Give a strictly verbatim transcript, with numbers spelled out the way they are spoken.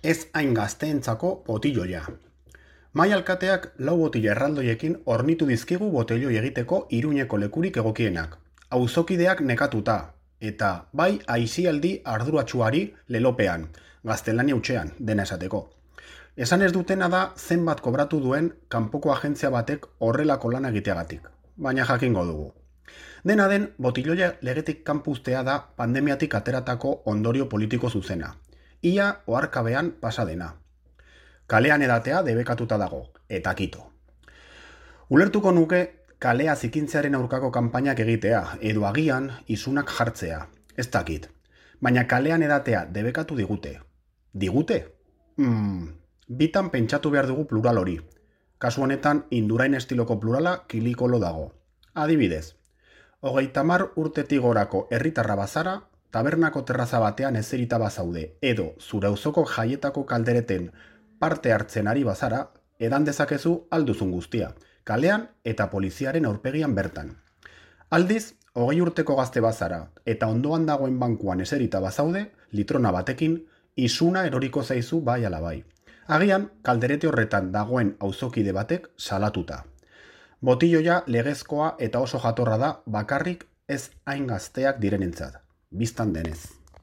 Ez hain gazteentzako botilloia. Mai alkateak lau botila erraldoiekin hornitu dizkigu botelloi egiteko Iruñeko lekurik egokienak. Auzokideak nekatuta, eta bai aisialdi arduratsuari lelopean, gaztelania hutsean, dena esateko. Esan ez dutena da zenbat kobratu duen kanpoko agentzia batek horrelako lan egiteagatik, baina jakingo dugu. Dena den, botilloia legetik kanpuztea da pandemiatik ateratako ondorio politiko zuzena. Ia oharkabean pasa dena. Kalean edatea debekatuta dago, eta kito. Ulertuko nuke kalea zikintzearen aurkako kanpainak egitea, edo agian isunak jartzea, ez dakit. Baina kalean edatea debekatu digute. Digute? Hmm, bitan pentsatu behar dugu plural hori. Kasu honetan Indurain estiloko plurala kilikolo dago. Adibidez, hogeita hamar urtetik gorako herritarra bazara, tabernako terraza batean ezerita bazaude, edo zure auzoko jaietako kaldereten parte hartzen ari bazara, edan dezakezu alduzun guztia, kalean eta poliziaren aurpegian bertan. Aldiz, hogei urteko gazte bazara eta ondoan dagoen bankuan eserita bazaude, litrona batekin, isuna eroriko zaizu bai ala bai. Agian, kalderete horretan dagoen auzokide batek salatuta. Botilloia legezkoa eta oso jatorra da bakarrik ez hain gazteak direnentzat, biztan denez.